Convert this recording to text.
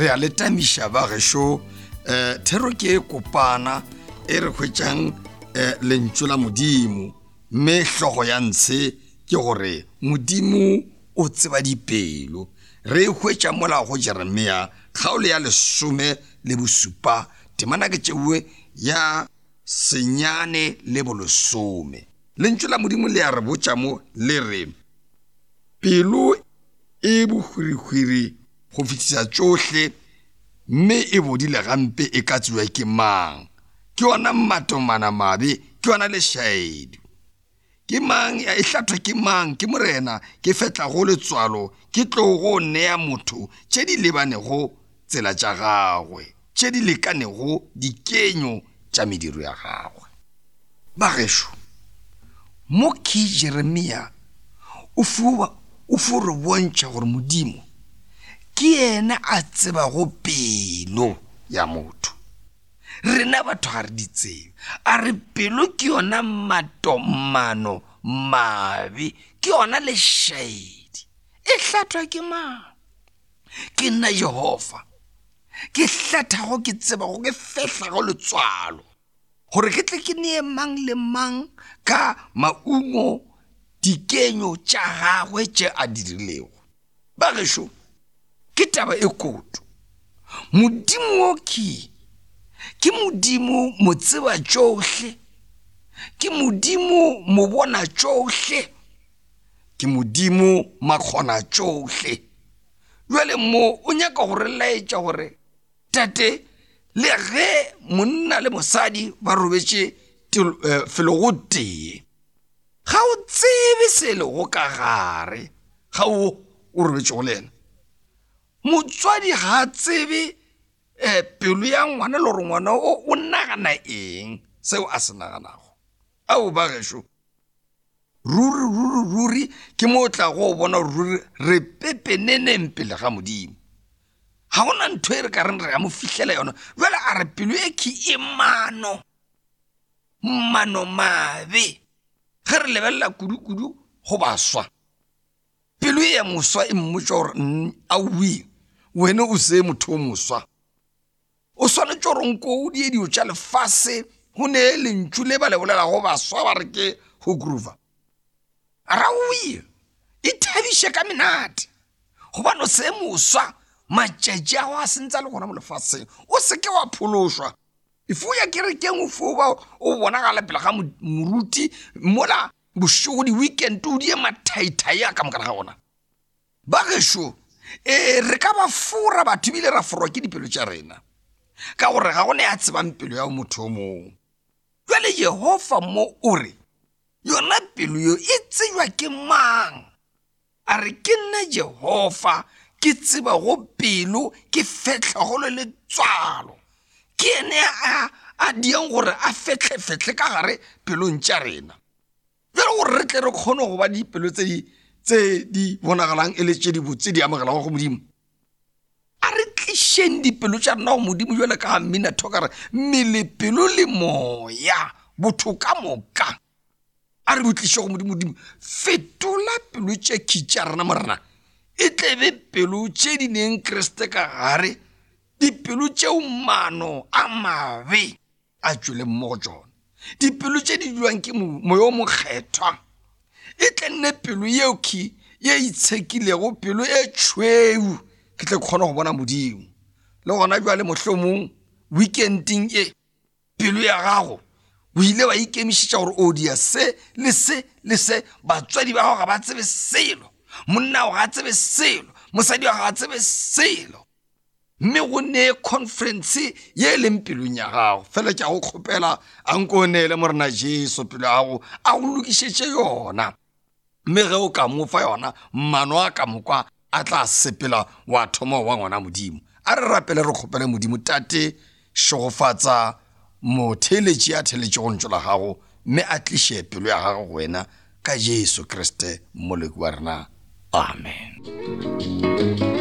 Re a le tamiša ba gešo, um thero ke e kopana e re hwetšang um lentšu la Modimo, mme hlogo ya ntshe ke gore Modimo o tseba dipelo. Re e hwetša mola go Jeremia kgaolo ya lesome le bosupa, temana ke tšeue ya senyane le bolesome. Lentšu la Modimo le a re botša mo le re, Pelo e bohwirihwiri go fetiša tšohle, mme e bodile gampe e ka tsebja ke mang? Ke yona matomana mabe, ke yona lešaedi. Ke mang e hlathwa ke mang? Ke Morena, ke fetlago letswalo, ke tlogo nea motho tše di lebanego tsela tša gagwe, tše di lekanego dikenyo tša mediro ya gagwe. Bagešo, mo ke Jeremia o fo o fo re bontšha gore Modimo ke yena a tsebago pelo ya motho. Rena batho ga re di tsebe. A re pelo ke yona matomano mabe, ke yona lešaedi. E hlathwa ke mang? Ke nna Jehofa, ke hlathago, ke tsebago, ke fehlago letswalo, gore ke tle ke nee mang le mang ka maungo dikenyo tša gagwe tše a di dirilego. Bagešo, ke taba e koto. Modimo wo ke ke Modimo motseba tšohle, ke Modimo mobona tšohle, ke Modimo makgona tšohle. Bjale mo o nyaka go re laetša gore tate le ge monna le mosadi ba robetše eh, felo go tee ga o tsebe se lego ka gare ga o o robetšego le yena motswadi ga a tsebe um pelo ya ngwana le gore ngwana o o nagana eng seo a se naganago ao ba gešo Ruri, ruri, ruri, ke mo o tlago go bona ruri re pepeneneng pele ga Modimo. Ga go na ntho e re ka reng re ya mo fihlela yona. Bjale a re pelo e khe e mano, mano mabe. Ge re lebelela kudu-kudu go baswa, pelo e ya moswa e mmotša gore aowi, wena o se motho o moswa. O swanetše gore nko o die dilo tša lefase go ne lentšu le ba le bolelago baswa ba re ke go groova. Raoye, ithabiše ka menate gobane o se moswa, matšatši a go a sentse a le gona mo lefaseng, o se ke wa phološwa. If o ya kerekeng o fo ba o bonagala pele ga moruti mola bošego di-weekend o die mathaithai a ka moka ga gona. Ba gešo, ee, re ka ba fora batho ebile ra forwa ke dipelo tša rena, ka gore ga go ne a tsebang pelo ya motho o mongwe. Jwale Jehofa mo o re, yona pelo yo e tsejwa ke mang? A re, ke nna Jehofa, ke tsebago pelo, ke fehlago le letswalo. Ke yene a a diang gore a fehlefehle ka gare pelong tša rena. Bjale gore re tle re kgone go ba dipelo tse di tse di bonagalang e le tše di botse di amogelago go Modimo, a re tlišeng dipelo tša rena go Modimo jwale ka mmina thoka re mmele, pelo le moya, botho ka moka a re bo tliše go Modimo. Modimo, fetola pelo tše khi tša rena Morena, e tle be pelo tše di neng Kriste ka gare, dipelo tšeo maano a mabe a tšwele mo go tšona. Dipelo tše di dulwang ke moya o mokgethwa e tle nne pelo yeo key ye itshekilego, pelo e tšhweu, ke tle kgone go bona Modimo. Le gona bjale mohlomong weekending e pelo ya gago o ile wa ikemišetša gore o dia se le se le se, batswadi ba gago ga ba tsebe selo, monna ga a tsebe selo, mosadi wa ga a tsebe selo. Mme go nee conference ye e leng pelong ya gago. Fela ke a go kgopela, a nko o neele Morena Jesu pelo ya gago, a go lokišetše yona. Mme ge o ka mo fa yona, mano a ka moka a tla sepela wa thoma wa ngwana Modimo. A re rapele re kgopele Modimo, Tate, šegofatsa motheeletši a theeletšego lentšu la gago, mme a tliše pelo ya gagwe go wena ka Jesu Kriste Mmoloki wa rena. Amen.